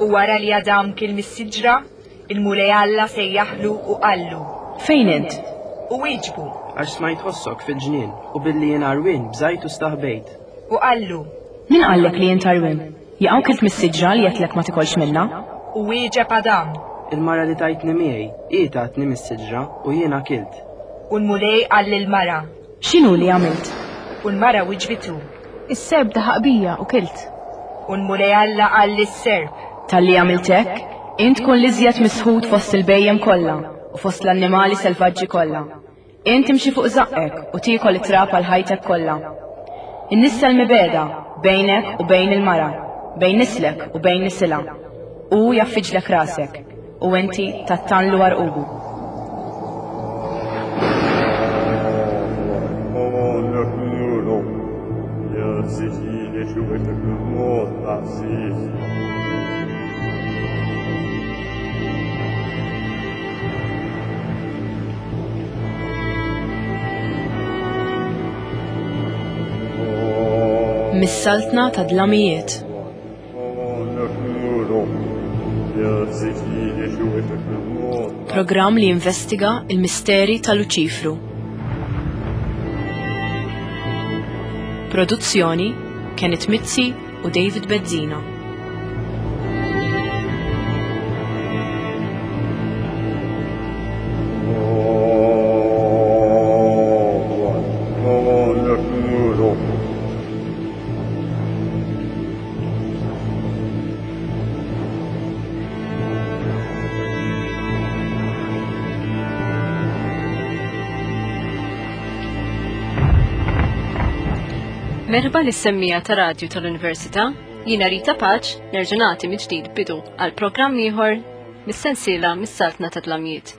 U wara li Adam kiel mis-siġra, il-Mulej Alla sejjaħlu u qallu. Fejn int? U wieġbu. Għax smajt ħossok fil-ġnien, u billi jien għarwien bżajt u staħbejt. U qallu. Min qallek li int għarwien? Jaqaw kilt mis-siġra li għedtlek ma tikolx minnha? U wieġeb Adam. Il-mara li tajtni miegħi, hi tatni mis-siġra u jiena kilt. U l-Mulej qal lill-mara. X'inhu li għamilt? U l-mara wiġbitu. Is-serp daħaq bija u kilt. U l-Mulej Alla qal lis-serp. Talli għamilt hekk, int tkun l-iżjed misħut fost il-bhejjem kollha u fost l-annimali selvaġġi kollha. Int timxi fuq żaqqek u tiekol it-trab għal ħajtek kollha. Innissel mibegħda bejnek u bejn il-mara, bejn nislek u bejn nisilha. Hu jgħaffiġlek rasek, u inti tattanlu għarqubu. Mis-saltna ta' dlamijiet. Programm li jinvestiga il-misteri ta' Luċifru. Produzzjoni Kenneth Mizzi u David Bezzina. Merħba lis-semmija ta' radju tal-Università, jiena Rita Paċ nerġa' nagħti mill-ġdid bidu għal programm ieħor mis-sensiela mis-Saltna ta' Dlamjiet.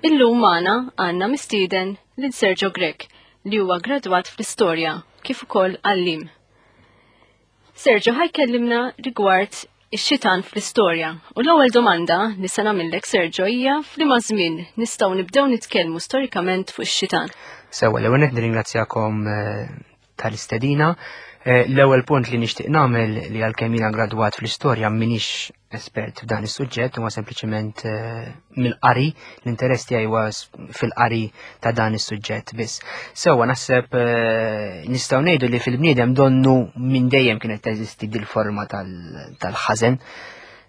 Illum magħna għandna mistieden lil Sergio Grech li huwa gradwat fl-istorja kif ukoll għallim. Sergio ħajkellimna rigward ix-xitan fl-istorja. U l-ewwel domanda li se nagħmillek Sergio hija f'liema żmien nistgħu nibdew nitkellmu storikament fuq ix-xitan. Sewwa, l-ewwel qed nirringrazzjakom eh, tal-istedina. Eh, l-ewwel punt li nixtieq nagħmel li għalkemm jiena gradwat fl-istorja m'iniex espert f'dan is-suġġett huwa sempliċement eh, mill-qari, l-interess tiegħi huwa fil-qari ta' dan is-suġġett biss. Sewwa naħseb eh, nistgħu ngħidu li fil-bniedem donnu minn dejjem kienet teżisti dil-forma tal-ħażen.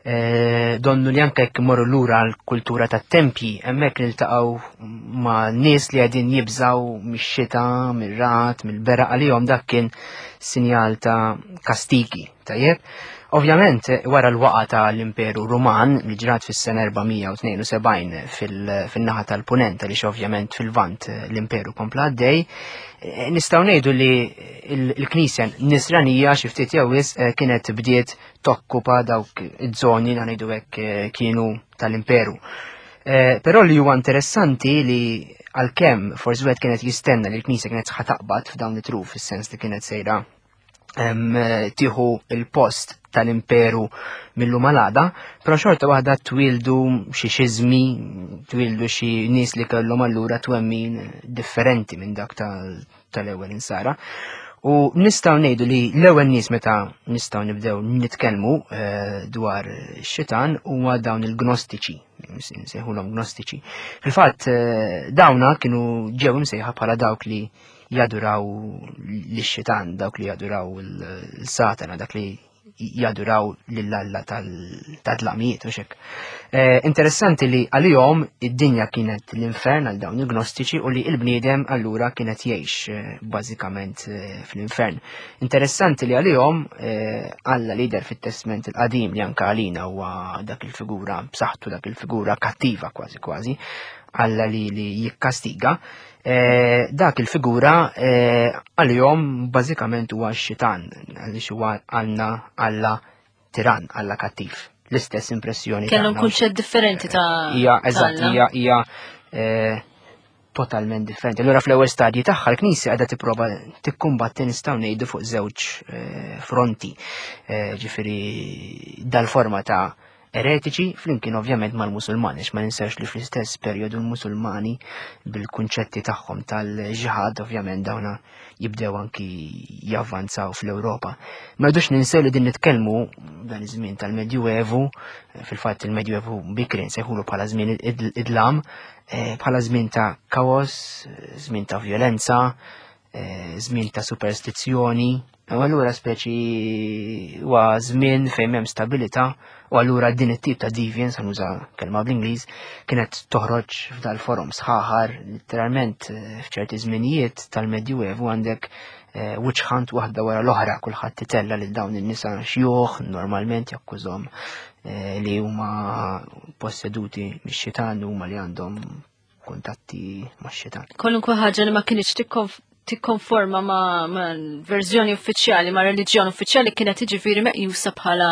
Eh, donnu li anke jekk imorru lura l-kultura tat-tempji, hemmhekk niltaqgħu ma' nies li qegħdin jibżgħu mix-xita, mir-rat, mill-beraq għalihom dak kien sinjal ta' kastigi Tajjeb. Ovvjament, wara l-waqa ta' l-Imperu Ruman li ġrat fis-sena 472 fil-naħa tal-Punent, għaliex ovvjament fil-Vant eh, l-Imperu kompla għaddej, eh, nistgħu ngħidu li l-Knisja Nisranija xi ftit jew wisq eh, kienet bdiet tokkupa dawk iż-żoni li ngħidu hekk kienu tal-Imperu. Però li huwa interessanti li għalkemm forsi wieħed kienet jistenna li l-Knisja kienet ħataqbad f'dawn it-truf fis-sens li kienet sejra tieħu il-post tal-imperu mill-lum għal però xorta waħda twildu xi xiżmi, twildu xi nies li kellhom allura twemmin differenti minn dak tal-ewwel insara. U nistgħu ngħidu li l-ewwel nies meta nistgħu nibdew nitkellmu eh, dwar xitan huwa dawn il-gnostiċi, nsejħulhom gnostiċi. Fil-fatt eh, dawna kienu ġew imsejħa bħala dawk li jaduraw lix-xitan, dawk li jaduraw l-satana, dak li jaduraw lill-alla tal-dlamijiet u xek. Eh, interessanti li għalihom id-dinja kienet l-infern għal dawn il-gnostiċi u li il-bniedem allura kienet jgħix eh, bażikament eh, fl-infern. Interessanti li għalihom Alla lider fit-Testment il-qadim li anka għalina huwa dak il-figura b'saħħtu dak il-figura kattiva kważi kważi, Alla li, li jikkastiga, Eh, dak il-figura eh, għalihom bażikament huwa x-xitan, għaliex huwa għandna Alla tiran, Alla kattiv. L-istess impressjoni. Kellhom kunċett differenti ta' Hija eżatt, hija hija eh, totalment differenti. Allura fl-ewwel stadji tagħha l-Knisja qiegħda tipprova tikkumbatti nistgħu ngħidu fuq żewġ fronti. Ġifieri dal-forma ta' eretiċi flimkien ovvjament mal-Musulmani, ma ninsewx li fl-istess perjodu l-Musulmani bil-kunċetti tagħhom tal-ġihad ovvjament dawna jibdew anki javvanzaw fl-Ewropa. Ma rridux ninsew li din nitkellmu dan iż-żmien tal-Medjuevu, fil-fatt il-Medjuevu bikri nsejħulu bħala żmien idlam, eh, bħala żmien ta' kaos, żmien ta' violenza, eh, żmien ta' superstizzjoni, u allura speċi huwa żmien fejn m'hemm stabilità u allura din it-tip ta' deviance, nuża kelma bl-Ingliż, kienet toħroġ f'dal-forum sħaħar, literalment eh, f'ċerti żminijiet tal-Medjuevu għandek eh, witch hunt waħda wara l-oħra, kulħadd titella lil dawn in-nisa xjuħ, normalment jakkużhom eh, li huma posseduti mix-xitan huma li għandhom kuntatti max-xitan. Kwalunkwe ħaġa li ma kienx tikkonforma ma' verżjoni uffiċjali, ma' reliġjon uffiċjali kienet jiġifieri meqjusa bħala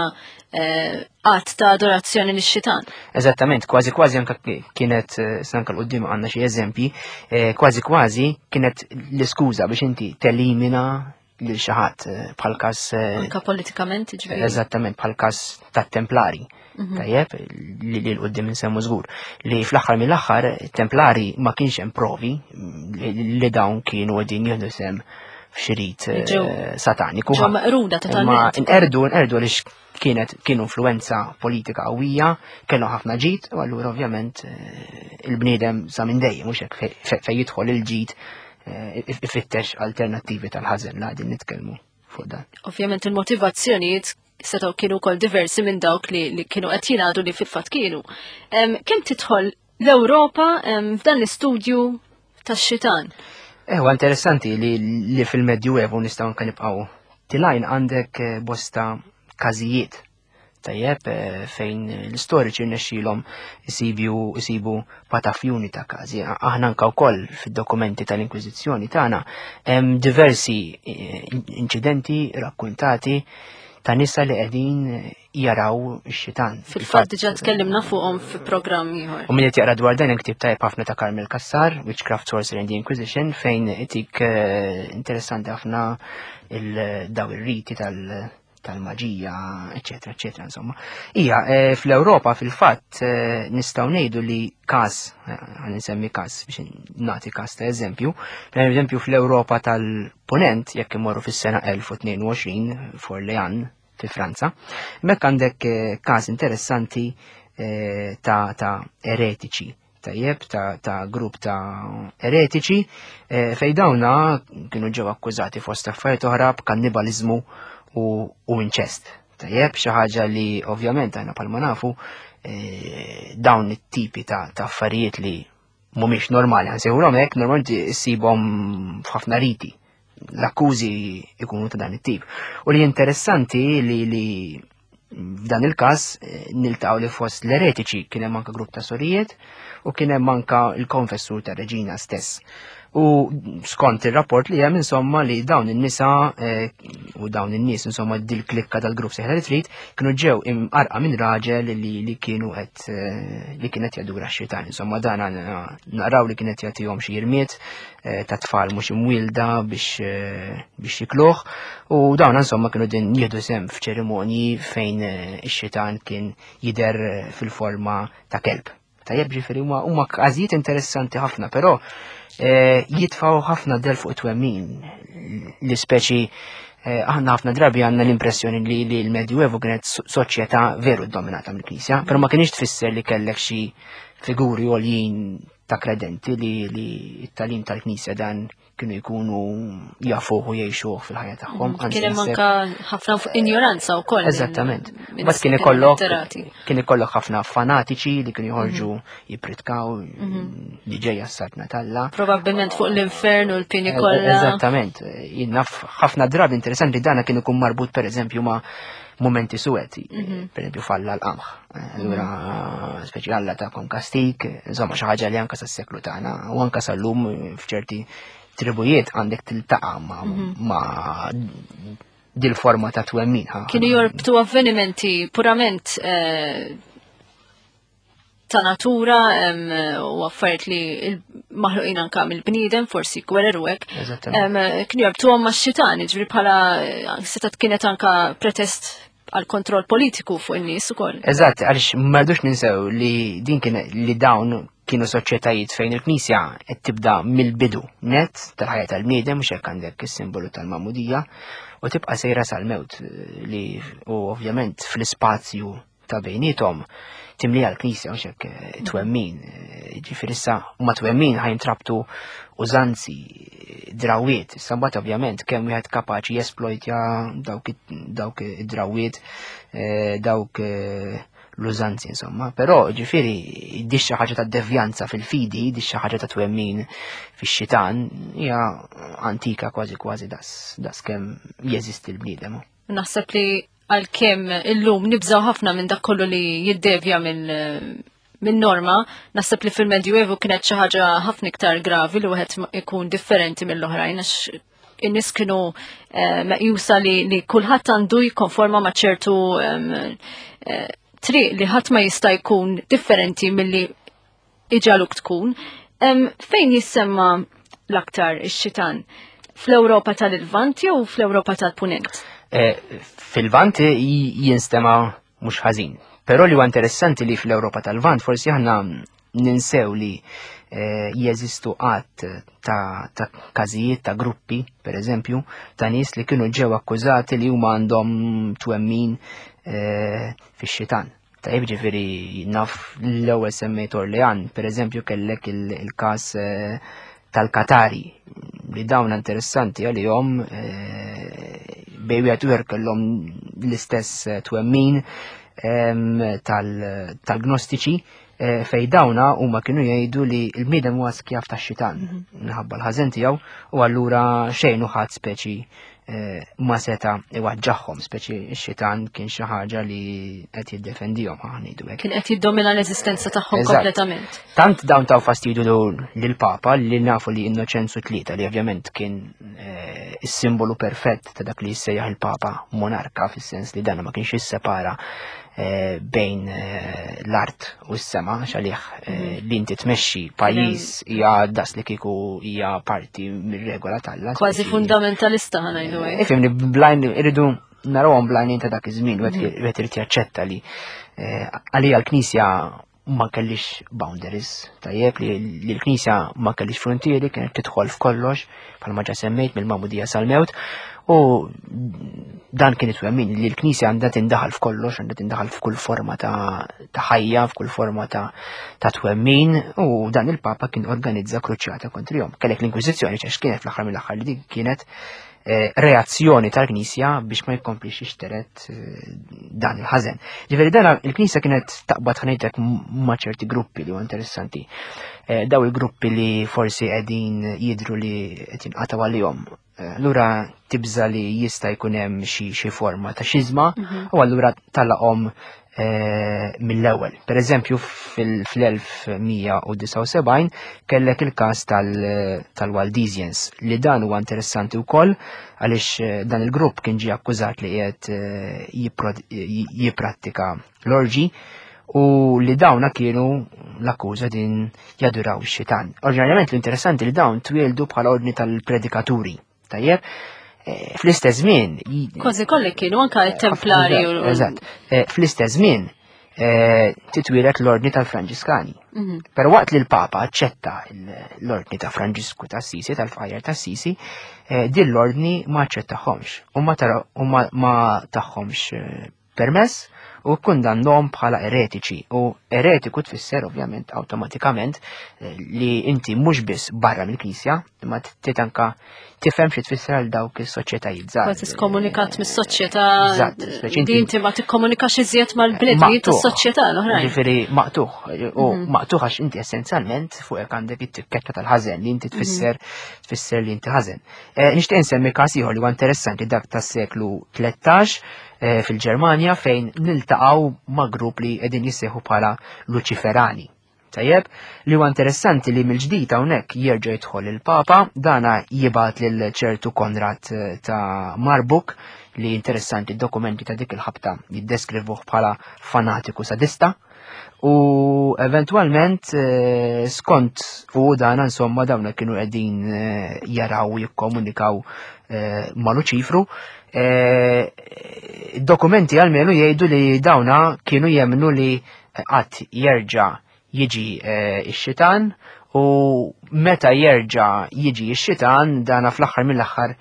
eh, att ta' adorazzjoni lix-xitan. Eżattament, kważi kważi anka kienet eh, sanka l-qudiem għandna xi eżempji, eh, kważi kważi kienet l-iskuża biex inti telimina lil xi ħadd eh, bħal każ eh, anka politikament ġifieri. Eżattament bħal każ tat-Templari. Mhm. Tajjeb, li l qudiem insemmu żgur. Li fl-aħħar mill-aħħar templari ma kienx hemm provi li dawn kienu qegħdin jieħdu sem f'xirit eh, sataniku. Ġew meqruda totalment. Ma nqerdu nqerdu għaliex kienet kienu influenza politika qawwija, kellhom ħafna ġid, u allura ovvjament eh, il-bniedem sa minn dejjem mhux hekk fejn jidħol il-ġid eh, ifittex alternattivi tal-ħażen la qegħdin nitkellmu fuq dan. Ovvjament il-motivazzjonijiet setgħu kienu wkoll diversi minn dawk li, li kienu qed jingħadu li fil-fatt kienu. Kemm tidħol l-Ewropa f'dan l-istudju tax-xitan? Ewa interessanti li, li fil-Medjuevu nistgħu anke nibqgħu tilajn għandek eh, bosta każijiet tajjeb eh, fejn l-istoriċi rnexxielhom isibu isibu patafjuni ta' każi. Aħna anke wkoll fid-dokumenti tal-Inkwiżizzjoni tagħna hemm diversi eh, inċidenti rakkuntati ta' nisa li qegħdin jaraw ix-xitan. Fil-fatt diġà tkellimna fuqhom fi programm ieħor. U min qed jaqra dwar dan hemm ktieb tajjeb ħafna ta' Carmel Cassar, Witchcraft Sorcery and the Inquisition, fejn itik eh, interessanti ħafna il-daw ir-riti tal- tal-maġija, eccetera, eccetera, insomma. Ija, eh, fl-Ewropa fil-fatt eh, nistgħu ngħidu li każ, għan nsemmi każ biex nagħti każ ta' eżempju, per eżempju fl-Ewropa tal-Ponent, jekk imorru fis-sena 1022 f'Orlean, fi Franza. Hemmhekk għandek eh, każ interessanti eh, ta', ta eretiċi tajjeb ta', ta grupp ta' eretiċi eh, fej dawna kienu ġew akkużati fost affarijiet oħra b'kannibaliżmu u, u inċest. Tajjeb, xi ħaġa li ovvjament aħna palma nafu dawn it-tipi ta', ta affarijiet li mhumiex normali, ħansejħulhom hekk, normalment issibhom f'ħafna riti. L-akkużi ikunu ta' dan it-tip. U li interessanti li li f'dan il-każ eh, niltaqgħu li fost l-eretiċi kien hemm anke grupp ta' sorijiet u kien hemm anke l-konfessur ta' reġina stess. U skont ir-rapport li hemm insomma li dawn in-nisa eh, u dawn in-nies insomma dil-klikka tal-grupp seħla li trid kienu ġew imqarqa minn raġel li, li kienu qed eh, li kienet jadura x-xitan. Insomma dan naqraw li kienet jagħtihom xi jirmiet eh, ta' tfal mhux imwielda biex biex jikluh u dawn insomma kienu din jieħdu sem f'ċerimonji fejn ix-xitan kien jidher fil-forma ta' kelb. Tajjeb ġifieri huma huma każijiet interessanti ħafna, però eh, jitfgħu ħafna del fuq it-twemmin li speċi eh, aħna ħafna drabi għandna l-impressjoni li, li l-Medjuevu kienet soċjetà veru dominata mill-Knisja, però ma kienx tfisser li kellek xi figuri għoljin ta' kredenti li, li t-talim tal-Knisja dan kienu jkunu jafuh u jgħixuh fil-ħajja tagħhom. Mm, kien hemm anka ħafna injoranza wkoll. Eżattament. Bas kien ikollok kien ikollok ħafna fanatiċi li kienu joħorġu mhm. jippritkaw mhm. li ġejja s-saltna talla. Probabbilment fuq l-infern u l-pini e, kollha. Eżattament. Jien naf ħafna drabi interessanti dana kien ikun marbut pereżempju ma' momenti suwet, mhm. per eżempju falla l-qamħ. Allura, speċi Alla ta' kon kastik, insomma xi ħaġa li anka sas-seklu tagħna u anka sal-lum f'ċerti tribujiet għandek tiltaqa' ma' mhm. ma' dil-forma ta' twemmin. Kienu jorbtu avvenimenti purament eh, ta' natura u affarijiet li maħluqin anka mill-bniedem, forsi gwerer u hekk. Kienu jorbtuhom ma' xitan, ġifieri bħala eh, setat kienet anka pretest għal kontroll politiku fuq in-nies ukoll. Eżatt, għaliex ma rridux ninsew li din kien li dawn kienu soċjetajiet fejn il-Knisja qed tibda mill-bidu net tal-ħajja tal-bniedem mhux hekk għandek is-simbolu tal-magħmudija u tibqa' sejra sal-mewt li u ovvjament fl-ispazju ta' bejnietom timlija l-Knisja mhux hekk eh, twemmin. Eh, ġifieri issa ma twemmin ħajntrabtu użanzi, drawiet. Issa mbagħad ovvjament kemm wieħed kapaċi jesplojtja dawk id-drawiet, eh, dawk l-użanzi insomma. Però ġifieri di xi ħaġa ta' devjanza fil-fidi, di xi ħaġa ta' twemmin fix-xitan hija antika kważi kważi das, das kemm jeżisti l-bniedem. Naħseb li għalkemm illum nibżaw ħafna minn dak kollu li jiddevja minn min norma, naħseb li fil-Medjuevu kienet xi ħaġa ħafna iktar gravi li wieħed ikun differenti mill-oħrajn għax in-nies kienu eh, meqjusa li, li kulħadd għandu jikkonforma ma' ċertu eh, triq li ħadd ma jista' jkun differenti milli iġaluk tkun. Fejn jissemma l-aktar ix-xitan? Fl-Ewropa tal-Lvant jew fl-Ewropa tal-Punent? Eh, Fil-Lvant jinstema mhux ħażin. Però li huwa interessanti li fl-Ewropa tal-Lvant forsi aħna ninsew li eh, jeżistu qatt ta', ta każijiet ta' gruppi, per eżempju, ta' nies li kienu ġew akkużati li huma għandhom twemmin eh, fix-xitan. Tajjeb ġifieri naf l-ewwel semmejt Orlean, per eżempju kellek il-każ eh, tal-Katari li dawn interessanti għalihom eh, bej wieħed u kellhom l-istess eh, twemmin tal-gnostiċi fej dawna huma kienu jgħidu li l-bniedem huwa skjav tax-xitan mhm. minħabba l-ħażen tiegħu u allura xejn u ħadd speċi Eh, ma seta iwaġġaħħom, speċi x-xitan kien xi ħaġa li qed jiddefendihom ħa ngħidu hekk. Kien qed jiddomina l-eżistenza tagħhom kompletament. Tant dawn taw fastidju lill-Papa li nafu li Innoċenzu tlieta li ovvjament kien eh, is-simbolu perfett ta' dak li jissejjaħ il-Papa monarka fis-sens li dan ma kienx jissepara Eh, bejn eh, l-art u s-sema, xalih eh, mhm. li inti tmexxi pajjiż hija das li kieku hija parti mir-regola tal Kważi fundamentalista ħanajdu hekk. Ifhimni blajn irridu narawhom blajn ta' dak iż-żmien wieħed mhm. irid jaċċetta li għalija l-Knisja ma kellix boundaries, tajjeb li l-Knisja ma kellix frontieri, kienet tidħol f'kollox, bħalma ġa semmejt mill-magħmudija sal-mewt, u dan kien it-twemmin li l-Knisja għandha tindaħal f'kollox, għandha tindaħal f'kull forma ta' ħajja, f'kull forma ta' twemmin, u dan il-Papa kien organizza kruċjata kontrihom. Kellek l-Inkwiżizzjoni ċax kienet fl-aħħar mill-aħħar li din kienet Eh, reazzjoni tal-Knisja biex ma jkomplix jixteret eh, dan il-ħażen. Ġifieri dan il-Knisja kienet taqbad ħanejtek ma' ċerti gruppi li huwa interessanti. Eh, daw il-gruppi li forsi qegħdin jidru li qed jinqatgħu għalihom. Allura tibża li jista' jkun hemm xi forma ta' xiżma mhm. u allura talaqhom Eh, mill-ewwel. Per eżempju, fil-1179 kellek il-każ tal-Waldesians li dan huwa interessanti wkoll għaliex eh, dan il-grupp kien ġie akkużat li qiegħed eh, jipprattika l-orġi u li dawna kienu l-akkuża din jaduraw ix-xitan. Oriġinarjament l-interessanti li dawn twieldu bħala ordni tal-predikaturi. Tajjeb, eh, fl-istess żmien. Kważi kolli kienu anka t-templari u. Eżatt. Eh, fl-istess żmien eh, titwieled l-ordni tal-Franġiskani. Mhm. Però waqt li l-Papa aċċetta l-ordni ta' Franġisku ta' Sisi, tal-Fajjar ta' Sisi, din l-ordni ma aċċettaħomx u ma taħħomx permess u kkundannhom bħala eretiċi u eretiku tfisser ovvjament awtomatikament eh, li inti mhux biss barra mill-Knisja imma trid anka tifhem xi tfisser għal dawk is-soċjetajiet żgħar. Kważi skomunikat mis-soċjetà. Di inti ma tikkomunikax iżjed mal-bnedmin tas-soċjetà l-oħrajn. Ġifieri maqtuħ u mhm. maqtuħ għax inti essenzjalment fuqek għandek it-tikketta tal-ħażen li inti mhm. tfisser tfisser li inti ħażen. Eh, nixtieq insemmi każ ieħor li huwa interessanti dak tas-seklu 13 eh, fil-Ġermanja fejn niltaqgħu ma' grupp li qegħdin jissejħu bħala Luċiferani. Tajjeb, li huwa interessanti li mill-ġdid hawnhekk jerġa' jidħol il-Papa, dana jibgħat lil ċertu Konrad eh, ta' Marbuk li interessanti d-dokumenti ta' dik il-ħabta jiddeskrivuh bħala fanatiku sadista. U eventwalment eh, skont u dan insomma dawna kienu qegħdin eh, jaraw jikkomunikaw eh, ma' Luċifru. Dokumenti għalmenu jgħidu li dawna kienu jemnu li qatt jerġa' jiġi x-xitan u meta jerġa' jiġi x-xitan dana fl-aħħar mill-aħħar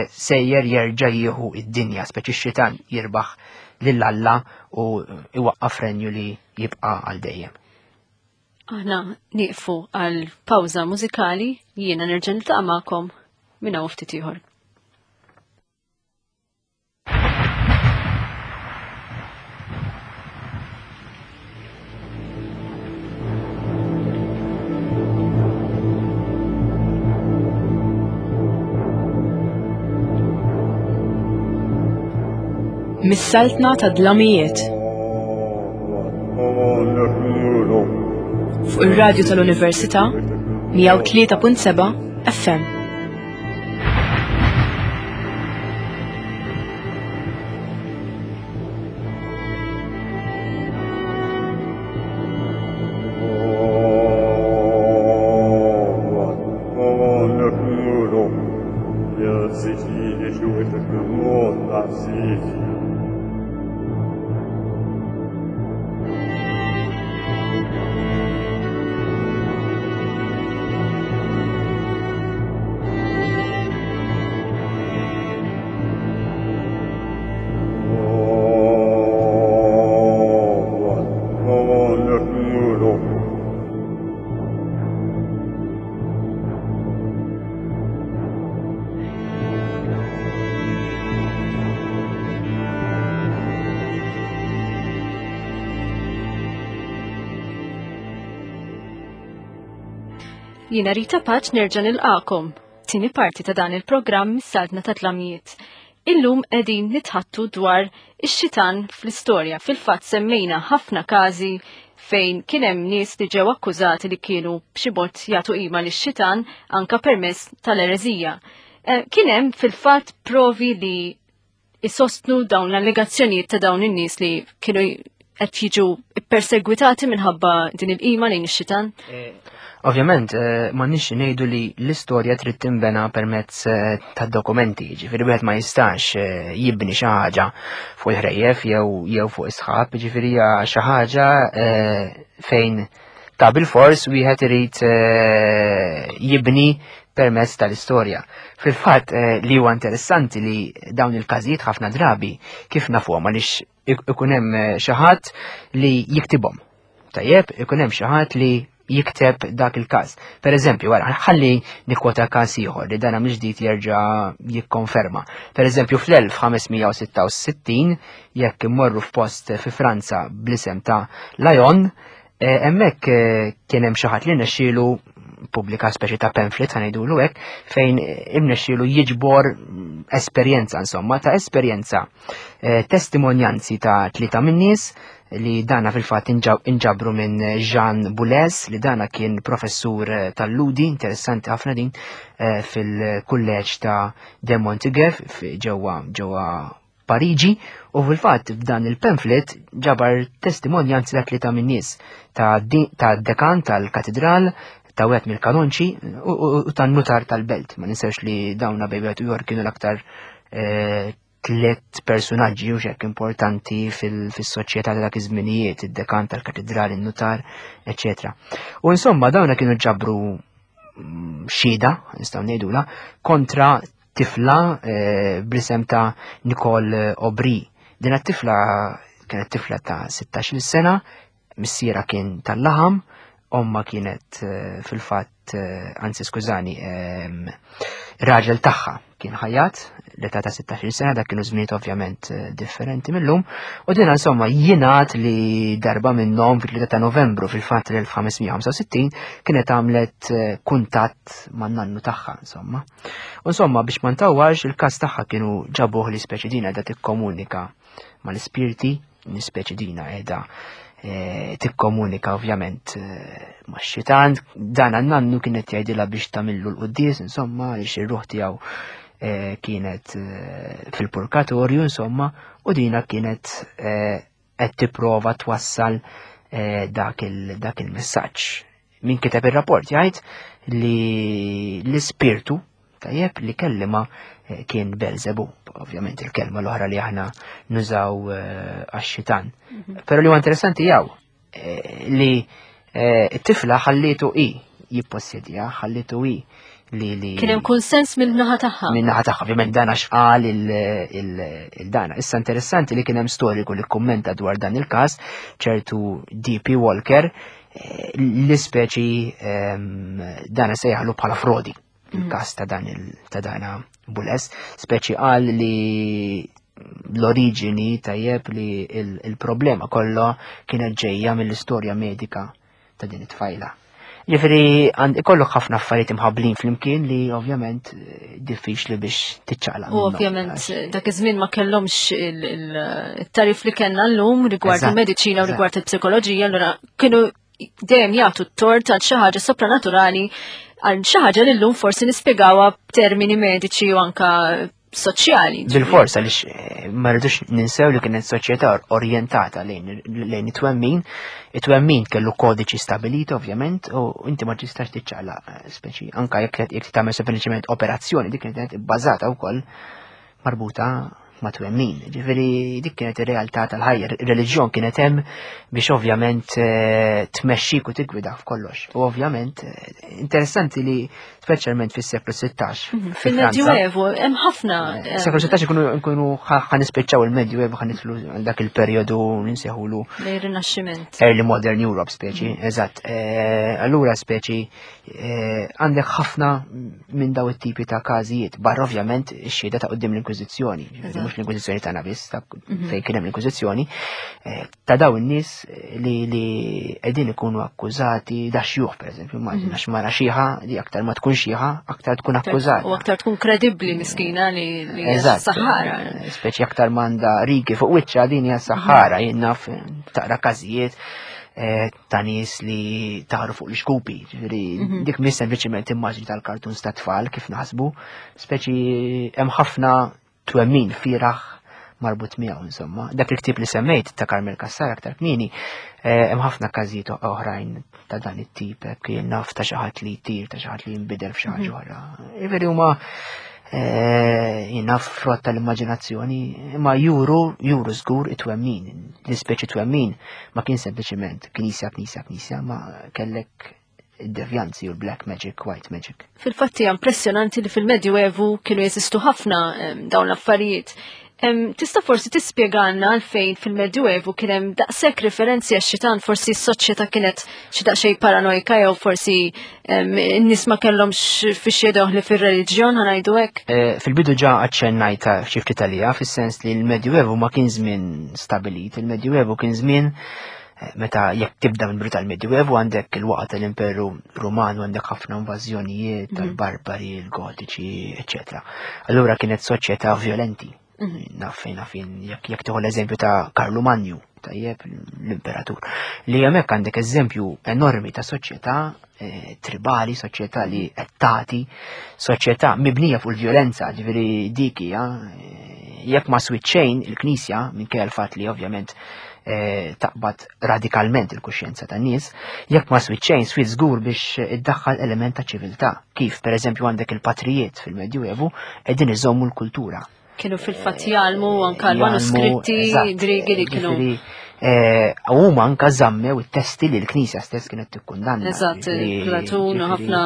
sejjer jerġa' jieħu id-dinja, speċi x-xitan jirbaħ lil Alla u iwaqqaf renju li jibqa' għal dejjem. Aħna nieqfu għal pawża mużikali jiena nerġa' niltaqa' magħkom minn hawn ftit ieħor. Mis-saltna ta' dlamijiet. Fuq ir-radju tal-Università 103.7 FM. Jiena Rita Paċ nerġa' nilqakom. Tieni parti ta' dan il-programm mis-Saltna ta' Tlamijiet. Illum qegħdin nitħattu dwar ix-xitan fl-istorja. Fil-fatt semmejna ħafna każi fejn kien hemm nies li ġew akkużati li kienu b'xi mod jagħtu qima lix-xitan anka permezz tal-ereżija. Eh, kien hemm fil-fatt provi li isostnu dawn l-allegazzjonijiet ta' dawn in-nies li kienu qed jiġu perseguitati minħabba din il-qima lejn ix-xitan? Eh, ovvjament, eh, ma nix ngħidu li l-istorja trid tinbena permezz eh, ta' dokumenti, ġifieri wieħed ma jistax jibni xi ħaġa fuq il-ħrejjef jew jew fuq is-sħab, ġifieri hija xi ħaġa fejn ta' bil-fors wieħed irid jibni permezz tal-istorja. Fil-fatt eh, li huwa interessanti li dawn il-każijiet ħafna drabi kif nafuhom għaliex ikun hemm eh, xi ħadd li jiktibhom. Tajjeb, ikun hemm xi ħadd li jikteb dak il-każ. Per eżempju, wara, ħalli nikkwota każ ieħor li dana mill-ġdid jerġa' jikkonferma. Per eżempju, fl-1566 jekk immorru f'post fi Franza bl-isem ta' Lyon, Eh, hemmhekk eh, kien hemm xi ħadd li nexxielu pubblika speċi ta' pamphlet ħanejdulu hekk fejn imnexxielu jiġbor esperjenza insomma ta' esperjenza eh, testimonjanzi ta' tlieta min-nies li dana fil-fatt inġabru minn Jean Boulez li dana kien professur tal-ludi interessanti ħafna din fil-kulleġġ ta' De Montigef ġewwa ġewwa Pariġi u fil-fatt f'dan il-pamphlet ġabar testimonjanzi ta' tlieta min-nies ta' dekan tal-katedral, ta' wieħed mill-kanonċi u tan-nutar tal-belt. Ma ninsewx li dawna bejn wieħed u ieħor kienu l-aktar eh, tliet personaġġi u xek importanti fil-soċjetà ta' dak iż-żminijiet, id-dekan tal-katedral, in-nutar, eċetera. U insomma dawna kienu ġabru mm, xhieda, nistgħu ngħidula, kontra tifla eh, bl-isem ta' Nicole Aubry. Din it-tifla kienet tifla ta' 16 sena, missiera kien tal-laħam, omma kienet eh, fil-fatt, eh, anzi skużani, ehm, raġel tagħha kien ħajat, l-età ta' 16 sena, dak kienu żminijiet ovvjament differenti mill-lum, u din insomma jingħad li darba minnhom fil-3 ta' Novembru fil-fatt l-1565 kienet għamlet kuntatt man-nannu tagħha insomma. U insomma biex ma ntawwarx il-każ tagħha kienu ġabuh li speċi dina qiegħda tikkomunika mal-ispirti, l-ispeċi dina qiegħda eh, tikkomunika ovvjament eh, max-xitan, dan għan-nannu kienet jgħidilha biex tagħmillu l-quddies, insomma, għaliex ir-ruħ tiegħu eh, kienet fil-purkatorju, insomma, u dina kienet qed tipprova twassal eh, dak il-messaġġ. Min kiteb ir-rapport jgħid li l-ispirtu tajjeb li kellima eh, kien Belzebu, ovvjament il-kelma l-oħra li aħna nużaw eh, għax-xitan. Mhm. Però li huwa interessanti jaw eh, li t-tifla ħallitu i jippossedja, ħallitu i li li. Kien hemm kunsens minn naħa tagħha. Minn naħa tagħha, ovvjament dan għax qal il-dana. Issa interessanti li kien hemm storiku li kummenta dwar dan il-każ, ċertu DP Walker, eh, l-ispeċi ehm, dana sejħalu bħala frodi mm. il-każ ta' dan ta' dana Bules, speċi qal li l-oriġini tajjeb li il-problema kollha kienet ġejja mill-istorja medika ta' din it-tfajla. Ġifieri ikollok ħafna affarijiet imħabblin flimkien li ovvjament eh, diffiċli biex tiċċaqlaq. U ovvjament eh, dak iż-żmien ma kellhomx il-tarif li kellna llum rigward il-mediċina u rigward il-psikoloġija, allura kienu dejjem jagħtu t-tort għal xi ħaġa sopranaturali għal xi ħaġa li llum forsi nispjegawha b'termini mediċi u anka soċjali. Bil-forsa li eh, ma rridux ninsew li kienet soċjetà orjentata lejn it-twemmin. It-twemmin kellu kodiċi stabilit ovvjament u inti ma tistax tiċċaqla eh, speċi anka jekk jekk tagħmel sempliċement operazzjoni dik kienet ibbażata wkoll marbuta ma' twemmin. Ġifieri dik kienet ir-realtà tal-ħajja, ir-reliġjon kienet hemm biex ovvjament eh, tmexxik u tigwida f'kollox. U ovvjament interessanti li speċjalment fis-seklu 16. Mhm, Fil-Medjuevu, hemm ħafna. Eh, seklu 16 ikunu nkunu ħanispiċċaw il-Medjuevu ħanitlu dak il-perjodu ninseħulu. Lej-Rinaxximent. Early Modern Europe speċi, mhm. eżatt. Eh, allura speċi eh, għandek ħafna minn daw it-tipi ta' każijiet, barra ovvjament ix-xhieda ta' qudiem l-Inkwiżizzjoni, mhux l-Inkwiżizzjoni tagħna biss, mhm. fejn kien hemm l-Inkwiżizzjoni, ta' daw in-nies li li qegħdin ikunu akkużati da xjuħ pereżempju, immaġina mhm. għax mara xiħa li aktar ma tkun xiħa, aktar tkun akkużata. U aktar tkun kredibbli miskina li li saħħara. Speċi aktar m'għandha rigi fuq wiċċha din hija saħħara, mhm. jien naf taqra każijiet eh, ta' nies li taħru fuq l-xkupi, ġifieri mhm. dik mhix sempliċiment immaġni tal-kartuns ta' tfal kif naħsbu, speċi hemm ħafna twemmin firaħ marbut miegħu insomma. Dak il-ktieb li semmejt ta' Carmel Cassar aktar kmieni, eh, hemm ħafna każijiet oħrajn ta' dan it-tip hekk jien naf ta' xi ħadd li jtir, ta' xi ħadd li jinbidel f'xi ħaġa mhm. oħra. Jiġifieri huma eh, jien naf frott tal-immaġinazzjoni, imma juru, juru żgur it-twemmin, l-ispeċi twemmin ma kien sempliċiment knisja, knisja, knisja, ma kellek id-devjanzi u l-black magic, white magic. Fil-fatt hija impressjonanti li fil-Medjuevu kienu jeżistu ħafna dawn l-affarijiet. Tista' forsi tispjegalna għalfejn fil-Medjuevu kien hemm daqshekk referenzi għax-xitan forsi s-soċjetà kienet xi daqsxejn paranojka jew forsi n-nies ma kellhomx fiex li fir-reliġjon ħanajdu hekk? Eh, fil-bidu ġa aċċennajta xi ftit għalija fis-sens li l-Medjuevu ma kien żmien stabilit, il-Medjuevu kien żmien meta jekk tibda minn bidu tal-Medjuevu għandek il-waqgħa tal-Imperu Ruman u għandek ħafna invażjonijiet mhm. tal-barbari, il-gotiċi, eċetera. Allura kienet soċjetà violenti. Mhm. Naf fejn naf jekk jekk tieħu l-eżempju ta' Karlu Manju, tajjeb l-imperatur. Li hemmhekk għandek eżempju enormi ta' soċjetà eh, tribali, soċjetà li mhm. qed tagħti, soċjetà mibnija fuq il-vjolenza, ġifieri dik hija eh, jekk ma switxejn il-Knisja minkejja l-fatt li ovvjament Eh, taqbad radikalment il-kuxjenza tan nies, jekk ma switxejn swit żgur biex iddaħħal element ta' ċiviltà. Kif pereżempju għandek il-patrijiet fil-Medjuevu qegħdin iżommu l-kultura. Kienu fil-fatt jgħallmu anka l-manuskritti Griegi li kienu. Eh, huma anka żammew it-testi li l-Knisja stess kienet tikkundanna. Eżatt, Platun u ħafna.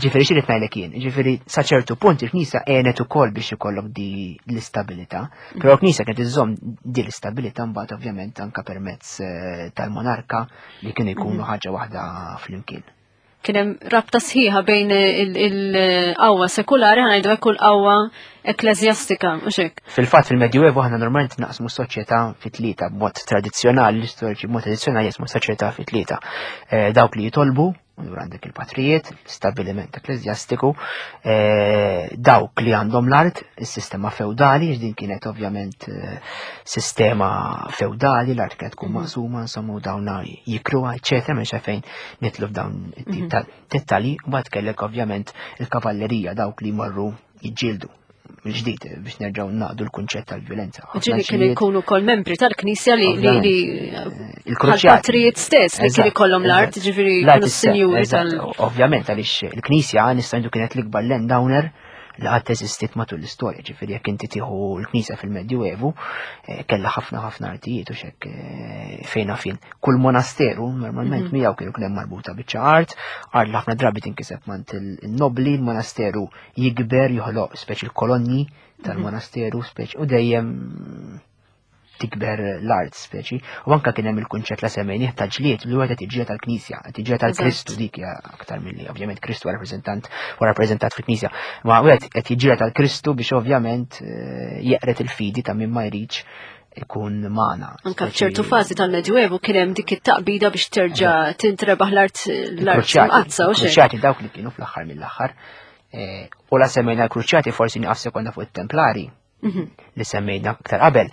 Ġifieri xi ngħidlek jien, ġifieri sa ċertu punt il-Knisja għenet ukoll biex ikollok di l-istabilità. Però l-Knisja kienet iżżomm din l-istabilità mbagħad ovvjament anka permezz eh, tal-monarka li kienu jkunu mhm. ħaġa waħda flimkien. Kien hemm rabta sħiħa bejn il-qawwa sekulari ħanajdu hekk u l-qawwa ekklesjastika, mhux hekk. Fil-fatt fil-Medjuevu aħna normalment naqsmu s-soċjetà fi tlieta b'mod tradizzjonali, l-istoriċi b'mod tradizzjonali jaqsmu s-soċjetà fi tlieta. Eh, dawk li jitolbu, Allura għandek il-patrijiet, l-istabbiliment ekklesjastiku, eh, dawk li għandhom l-art, is-sistema feudali, din kienet ovvjament eh, sistema feudali, l-art kienet tkun mhm. maqsuma, insomma, u dawna jikruha, eċetera, minn fejn nitlu f'dawn it-tip mhm. ta' dettalji, u mbagħad kellek ovvjament il-kavallerija dawk li jmorru jiġġieldu. mill-ġdid biex nerġgħu naqdu l-kunċett tal-violenza. Ġieli kienu jkunu wkoll membri tal-Knisja li li il-kruċjatrijiet stess li kienu jkollhom l-art, ġifieri kienu sinjuri tal. Ovvjament għaliex il-Knisja nista' ngħidu kienet l-ikbar landowner li qatt eżistiet matul l-istorja, ġifieri jekk inti tieħu l-Knisja fil-Medjuevu, eh, kellha ħafna ħafna artijiet u xek eh, fejn fin. Kull monasteru normalment mhm. miegħu kienu kien hemm marbuta biċċa art, art li ħafna drabi tinkiseb mant il-nobli, il-monasteru jikber, joħloq speċi l-kolonni tal-monasteru speċi u dejjem tikber l-art speċi. U anka kien hemm il-kunċett la semmejnih ta' ġlied li huwa tiġġiela tal-Knisja, tiġġiela tal-Kristu dik hija aktar milli ovvjament Kristu huwa rappreżentant u rappreżentat fil-Knisja. Ma wieħed qed jiġġiela tal-Kristu biex ovvjament eh, jeqret il-fidi ta' min ma jridx ikun magħna. Anka f'ċertu fażi tal-Medjuevu kien hemm dik it-taqbida biex terġa' tintrebaħ l-art l-art imqaddsa u xejn. Kruċjati dawk li kienu fl-aħħar mill-aħħar. Eh, u la semmejna l-kruċjati forsi nieqaf sekonda fuq it-Templari mhm. li semmejna aktar qabel.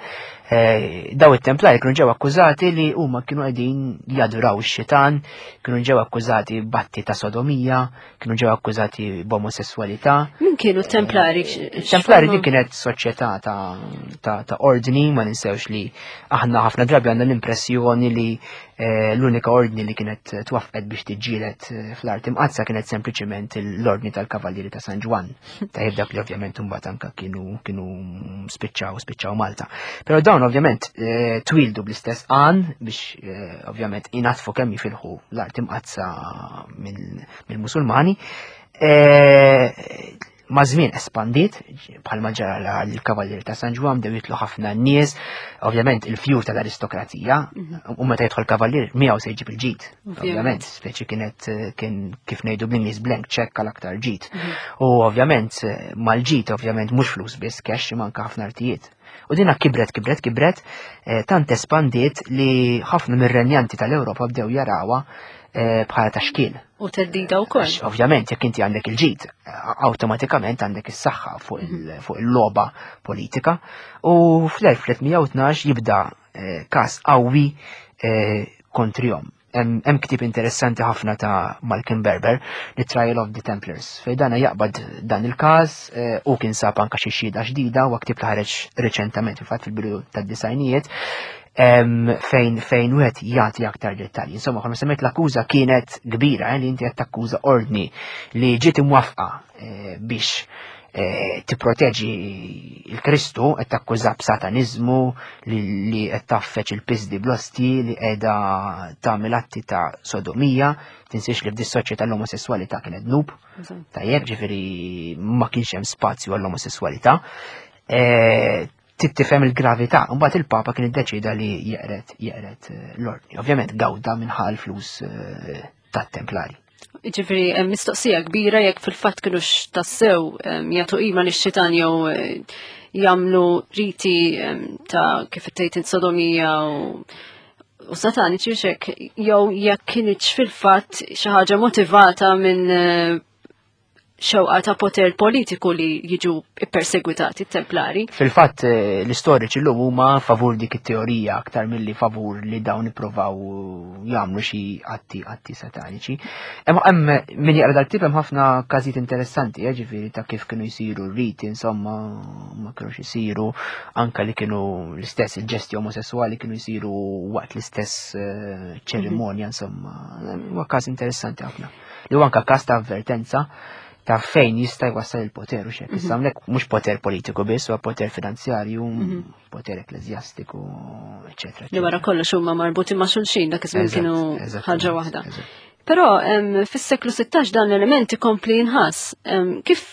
Eh, daw it-Templari kienu ġew akkużati li huma kienu qegħdin jaduraw ix-xitan, kienu ġew akkużati batti ta' sodomija, kienu ġew akkużati b'omosessualità. Min kienu t-Templari? Eh, Templari din kienet soċjetà ta' ordni, ma ninsewx li aħna ħafna drabi għandna l-impressjoni li eh, l-unika ordni li kienet twaffqet biex tiġġieled eh, fl-art imqazza kienet sempliċement l-ordni tal-Kavallieri ta' San Ġwann. Tajjeb dak li ovvjament imbagħad anka kienu kienu spiċċaw spiċċaw Malta. Però dawn ovvjament eh, twildu bl-istess għan biex ovvjament inatfu kemm jifilħu l-art imqazza mill-Musulmani. Ma' żmien espandiet, bħalma ġara l-Kavallieri ta' San Ġwann bdew jitlu ħafna nies, ovvjament il-fjur tal-aristokrazija, mhm. u meta jidħol kavallier miegħu se jġib il-ġid. Ovvjament, speċi kienet kien kif ngħidu bl-Ingliż blank check għal aktar ġid. Mhm. U ovvjament mal-ġid ovvjament mhux flus biss cash imma anke ħafna artijiet. U dina kibret, kibret, kibret, eh, tant espandiet li ħafna mir-renjanti tal-Ewropa bdew jarawha eh, bħala ta' xkiel. U teddida wkoll. Ovvjament, jekk inti għandek il-ġid, awtomatikament għandek is-saħħa fuq mhm. il-logħba politika. U fl-1312 jibda eh, każ qawwi eh, kontrihom. Hemm ktieb interessanti ħafna ta' Malcolm Berber, The Trial of the Templars, fejn dana jaqbad dan il-każ eh, u kien sab anka xi xhieda ġdida u ktieb li ħareġ riċentament fil-fatt fil-bidu tad-disajnijiet fejn fejn wieħed jagħti aktar dettalji. Insomma, bħalma semmejt l-akkuża kienet kbira eh, li inti qed takkuża ordni li ġiet imwafqa eh, biex eh, tipproteġi il-Kristu qed takkuża b'sataniżmu li qed taffeċ il-pisdi bl-osti li qiegħda tagħmel atti ta' sodomija, tinsiex li f'di soċjetà l-omosessualità kienet dnub. Tajjeb, ġifieri ma kienx hemm spazju għall-omosessualità. Trid tifhem il-gravità. Mbagħad il-Papa kien iddeċida li jeqret jeqret eh, l-ordni. Ovvjament gawda minħal flus eh, tat-templari. Ġifieri hemm mistoqsija kbira jekk fil-fatt kienux tassew jagħtu qima lix-xitan jew eh, jagħmlu riti ta' kif tgħid sodomija u u sataniċi xek jew jekk kienx fil-fatt xi ħaġa motivata minn xewqa ta' poter politiku li jiġu ippersegwitati t-templari. Fil-fatt eh, l-istoriċi llum huma favur dik it-teorija aktar milli favur li dawn ippruvaw jagħmlu xi atti atti sataniċi. Hemm hemm min jaqra dal-ktieb hemm ħafna każijiet interessanti, eh, ġifieri ta' kif kienu jsiru r-riti, insomma, ma kienux isiru, anka li kienu l-istess il-ġesti omosessuali kienu jsiru waqt l-istess eh, ċerimonja, insomma, huwa każ interessanti ħafna. Li huwa anka każ ta' avvertenza ta' fejn jista' jwassal il-poter u xek. Issa mhm. hawnhekk mhux poter politiku biss, huwa poter finanzjarju, mhm. poter ekklesjastiku, eċetera. Li wara kollox huma marbuti ma' xulxin dak iż-żmien kienu ħaġa waħda. Però fis-seklu 16 dan l-element ikompli jinħass. Kif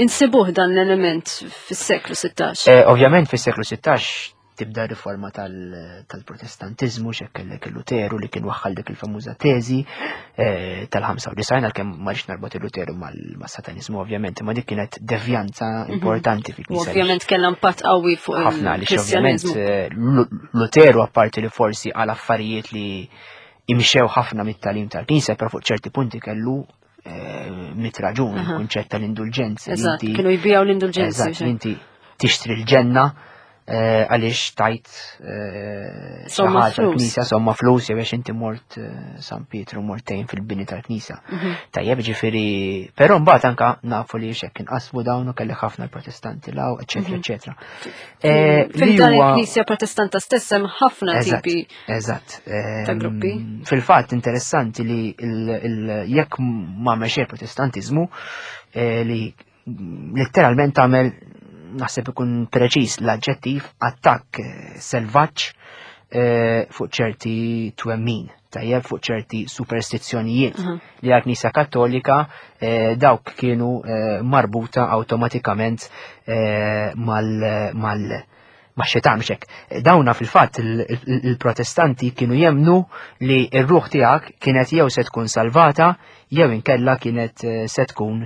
insibuh dan l-element fis-seklu 16? Eh, ovvjament fis-seklu 16 tibda riforma tal-protestantiżmu x'hekk kellek il-Luteru li kien waħħal dik il-famuża teżi eh, tal-95 għalkemm ma rridx narbot il-Luteru mas-sataniżmu ovvjament, imma dik kienet devjanza mhm. importanti fil-Knisja. Ovvjament kellha impatt qawwi fuq ħafna għaliex ovvjament eh, Luteru apparti li forsi għal affarijiet li imxew ħafna mit-talim tal-Knisja, però fuq ċerti punti kellu eh, mit raġun, il-kunċett tal-indulġenza. Eżatt, kienu jbijaw l-indulġenza. Eżatt, inti tixtri l-ġenna. Għaliex tajt Somma flus. Knisja somma flus jew għax inti mort San Pietru mortejn fil-bini tal-knisja. Tajjeb ġifieri, però mbagħad anka nafu li xekk inqasmu dawn u kelli ħafna l-Protestanti law, eċetera, eċetera. Fil-dan il-Knisja Protestanta stess hemm ħafna tipi ta' gruppi. Fil-fatt interessanti li jekk ma mexej Protestantiżmu li letteralment tagħmel naħseb ikun preċiż l-aġġettiv attakk selvaġġ fuq ċerti twemmin, tajjeb fuq ċerti superstizzjonijiet li għal-Knisja Kattolika dawk kienu marbuta awtomatikament ma' xitan xek. Dawna fil-fatt il-Protestanti kienu jemnu li r-ruħ tiegħek kienet jew se tkun salvata jew inkella kienet se tkun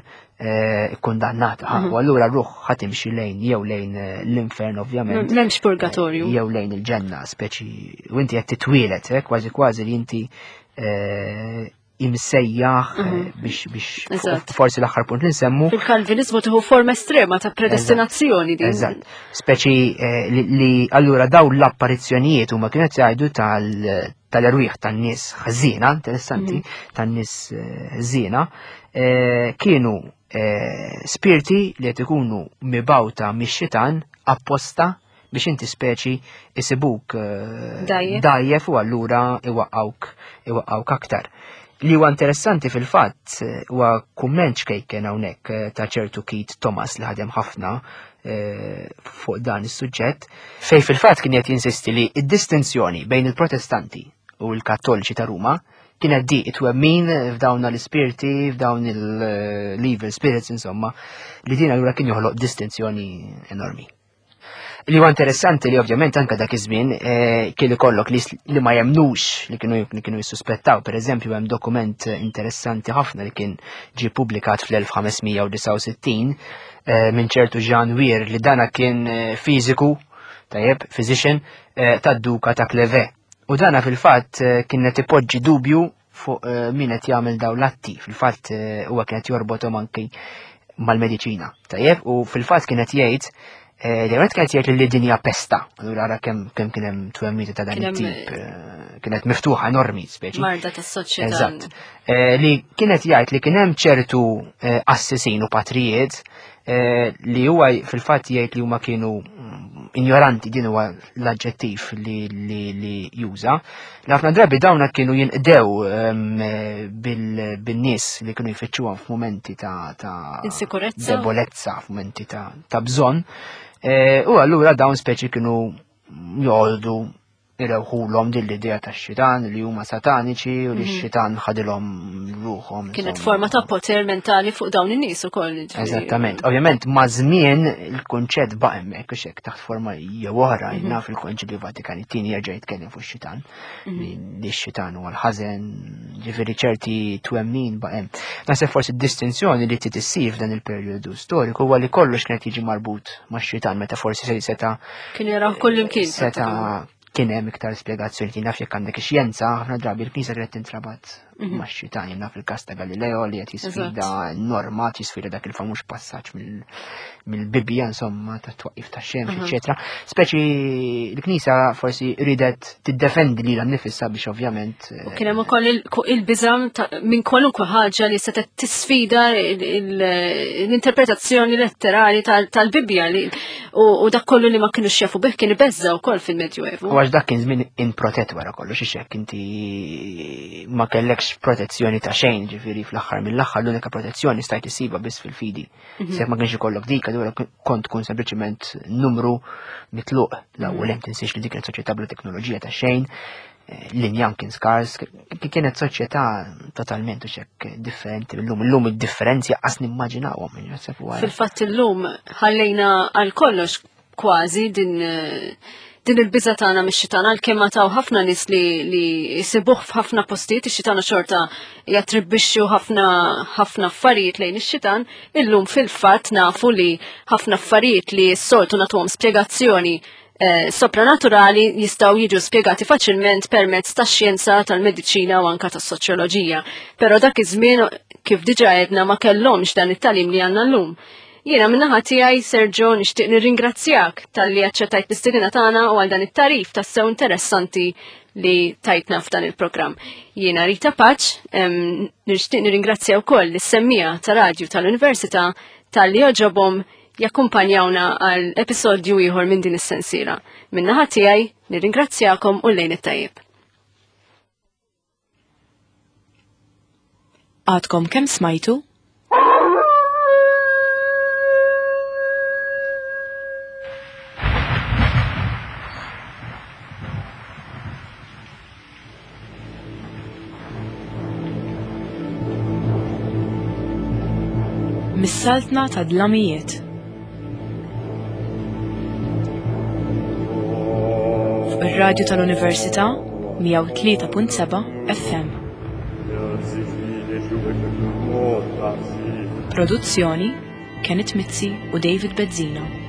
kundannata. U allura r-ruħ ħatimxi lejn jew lejn l-infern ovvjament. M'hemmx purgatorju. Jew lejn il-ġenna, speċi u inti qed titwielet, kważi kważi li inti imsejjaħ biex forsi l-aħħar punt li nsemmu. Fil-Kalvinizmu tieħu forma estrema ta' predestinazzjoni din. Eżatt. Speċi li allura daw l-apparizzjonijiet huma kienu qed jgħidu tal-erwieħ tan-nies ħażina, interessanti, tan-nies ħżiena, kienu spirti li qed ikunu mibgħuta mix-xitan apposta biex inti speċi isibuk dajjef u allura iwaqqawk aktar. Li huwa interessanti fil-fatt huwa kumment xkejken hawnhekk ta' ċertu Keith Thomas li ħadem ħafna fuq dan is-suġġett, fej fil-fatt kien qed jinsisti li d-distinzjoni bejn il-Protestanti u l-Kattoliċi ta' Ruma kienet di it-twemmin f'dawn l-ispirti, f'dawn l-evil spirits, insomma, li din allura kien joħloq distinzjoni enormi. Li huwa interessanti li ovvjament anke dak iż-żmien kien ikollok li ma jemnux li kienu jissuspettaw. Per eżempju hemm dokument interessanti ħafna li kien ġie ppubblikat fl-1569 minn ċertu Jean Weir li dana kien fiżiku, tajjeb, physician, tad-duka ta' Cleves. U dana fil-fatt kien qed ipoġġi dubju fuq min qed jagħmel dawn l-atti. Fil-fatt huwa kien qed jorbothom anki mal-mediċina. Tajjeb, u fil-fatt kien qed jgħid li għet kienet jgħid li dinja pesta, allura ara kemm kien hemm twemmita ta' dan Kien hemm, it-tip, kienet miftuħa enormi speċi. Marda tas-soċjetà. Eżatt. Li kienet jgħid li kien hemm ċertu assisin u patrijiet li huwa fil-fatt jgħid li huma kienu ignoranti, din huwa l-aġġettiv li juża. Li ħafna drabi dawna kienu jinqdew bin-nies li kienu jfittxuhom f'mumenti ta' Insikurezza. debolezza, f'mumenti ta' bżonn. U allura dawn speċi kienu jgħoldu irewħulhom din l-idea tax-xitan li huma sataniċi u li x-xitan ħadilhom ruħhom, Kienet insomma. forma ta' poter mentali fuq dawn in-nies ukoll, ġifieri. Eżattament. Ovvjament ma' żmien il-kunċett baqa' hemmhekk u xek taħt forma jew oħra, naf il-Konċilju Vatikan it-tieni jerġa' jitkellem fuq ix-xitan, li x-xitan huwa l-ħażen, ġifieri ċerti twemmin baqa' hemm. Naħseb forsi d-distinzjoni li trid issir f'dan il-perjodu storiku huwa li kollox kien qed jiġi marbut max-xitan meta forsi se seta' Kien jaraw kull imkien, seta' pratikament. kien hemm iktar spjegazzjoni. Jien naf jekk għandek ix-xjenza, ħafna drabi l-Knisja kienet tintrabat max-xitan. Jien naf il-każ ta' Galileo li qed jisfida norma, jisfida dak il-famuż passaġġ mill-Bibbja, insomma, ta' twaqqif ta' xemx, eċetera. Speċi l-Knisja forsi ridet tiddefendi lilha nnifisha biex ovvjament, U kien hemm ukoll il-biżam minn kwalunkwe ħaġa li setgħet tisfida l-interpretazzjoni letterali tal-Bibbja li u dak kollu li ma kinux jafu bih kien ibeżża wkoll fil-Medjuevu. U għax dak kien żmien improtett wara kollox, ix hekk inti ma kellekx protezzjoni ta' xejn, ġifieri fl-aħħar mill-aħħar l-unika protezzjoni stajt issibha biss fil-fidi. Se ma kienx ikollok dik, allura kont tkun sempliċement numru mitluq. L-ewwel hemm tinsiex li dik kienet soċjetà bla teknoloġija ta' xejn, l-injam kien skars, kienet soċjetà totalment u xek differenti mill-lum. Illum id-differenzi qas nimmaġinawhom, naħseb huwa Fil-fatt illum ħallejna għal kollox kważi din il-biża tagħna mix-xitan, għalkemm ma taw ħafna nies li jsibuh f'ħafna postijiet, ix-xitana xorta jattribwixxu ħafna affarijiet lejn ix-xitan, illum fil-fatt nafu li ħafna affarijiet li s-soltu nagħtuhom spjegazzjoni sopranaturali jistgħu jiġu spjegati faċilment permezz tax-xjenza, tal-mediċina u anka tas-soċjoloġija. Però dak iż-żmien, kif diġà għedna, ma kellhomx dan it-tagħlim li għandna llum. Jiena min-naħa tiegħi Sergio nixtieq nirringrazzjak talli aċċettajt l-istedina tagħna u għal dan it-tarif tassew interessanti li tajtna f'dan il-programm. Jiena Rita Paċ, nixtieq nirringrazzja wkoll lis-semmija ta' radju tal-Università talli oġobhom jakkumpanjawna għal episodju ieħor minn din is-sensiela. Min-naħa tiegħi nirringrazzjakom u lejn it-tajjeb. Għadkom kemm smajtu? Mis-saltna ta' dlamijiet. Fuq ir-radju tal-Università 103.7 FM. Produzzjoni Kenneth Mizzi u David Bezzina.